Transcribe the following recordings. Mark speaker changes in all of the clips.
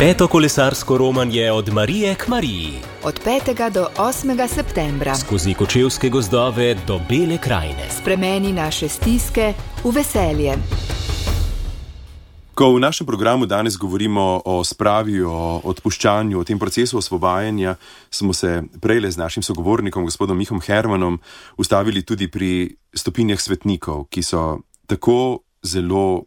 Speaker 1: Peto kolesarsko romanje od Marije k Mariji.
Speaker 2: Od 5. do 8. septembra.
Speaker 1: Skozi kočevske gozdove do Bele krajine.
Speaker 2: Spremeni naše stiske v veselje.
Speaker 3: Ko v našem programu danes govorimo o spravi, o odpuščanju, o tem procesu osvobajanja, smo se prejle z našim sogovornikom, gospodom Mihom Hermanom, ustavili tudi pri stopinjah svetnikov, ki so tako zelo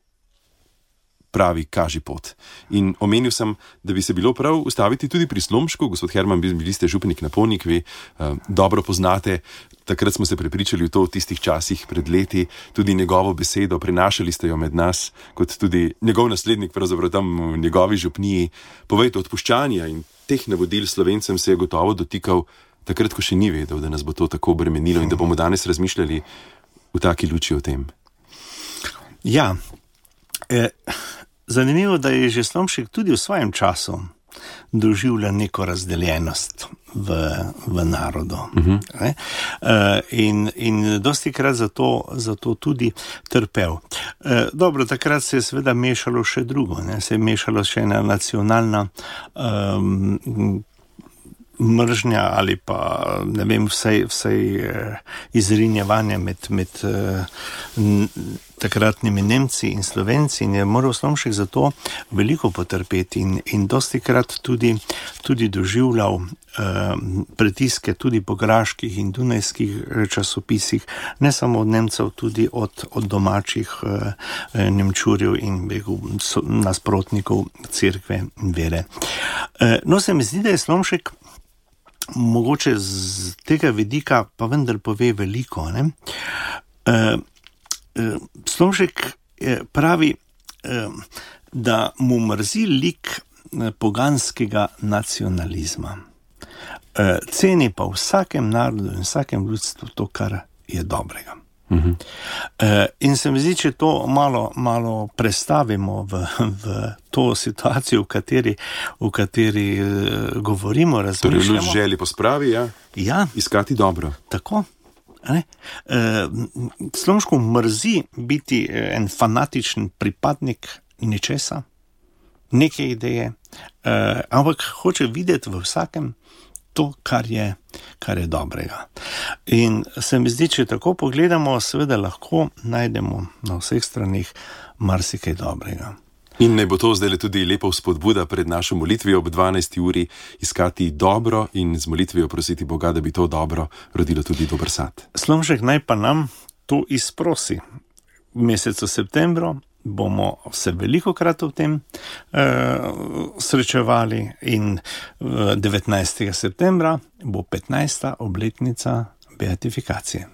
Speaker 3: pravi kaži pot. In omenil sem, da bi se bilo prav ustaviti tudi pri Slomšku. Gospod Herman, bili ste županik na Ponikvi, dobro poznate, takrat smo se prepričali v to v tistih časih pred leti, tudi njegovo besedo, prenašali ste jo med nas, kot tudi njegov naslednik, pravzaprav tam v njegovi župniji. Povejte, odpuščanja in teh navodil Slovencem se je gotovo dotikal takrat, ko še ni vedel, da nas bo to tako obremenilo in da bomo danes razmišljali v taki luči o tem.
Speaker 4: Ja, zanimivo, da je že Slomšek tudi v svojem času doživljal neko razdeljenost v narodu. In dostikrat zato tudi trpel. Dobro, takrat se je seveda mešalo še drugo, se je mešalo še ena nacionalna mržnja ali pa, ne vem, vsej izrinjevanje med takratnimi Nemci in Slovenci in je moral Slomšek zato veliko potrpeti in dostikrat tudi doživljal pritiske tudi po graških in dunajskih časopisih, ne samo od Nemcev, tudi od domačih Nemčurjev in nasprotnikov cerkve in vere. No, se mi zdi, da je Slomšek mogoče z tega vidika pa vendar pove veliko. Slomšek pravi, da mu mrzi lik poganskega nacionalizma. Ceni pa v vsakem narodu in vsakem ljudstvu to, kar je dobrega. In se mi zdi, če to malo prestavimo v to situacijo, v kateri govorimo, razmišljamo.
Speaker 3: Torej, ljud želi po spravi,
Speaker 4: ja.
Speaker 3: Iskati dobro.
Speaker 4: Tako. Slomšku mrzi biti en fanatičen pripadnik nečesa, neke ideje, ampak hoče videti v vsakem to, kar je dobrega. In se mi zdi, če tako pogledamo, seveda lahko najdemo na vseh stranih marsikaj dobrega.
Speaker 3: In naj bo to zdaj tudi lepa vzpodbuda pred našo molitvijo ob 12. uri iskati dobro in z molitvijo prositi Boga, da bi to dobro rodilo tudi dober sad.
Speaker 4: Slomšek naj pa nam to izprosi. V mesecu septembru bomo se velikokrat v tem srečevali in 19. septembra bo 15. obletnica beatifikacije.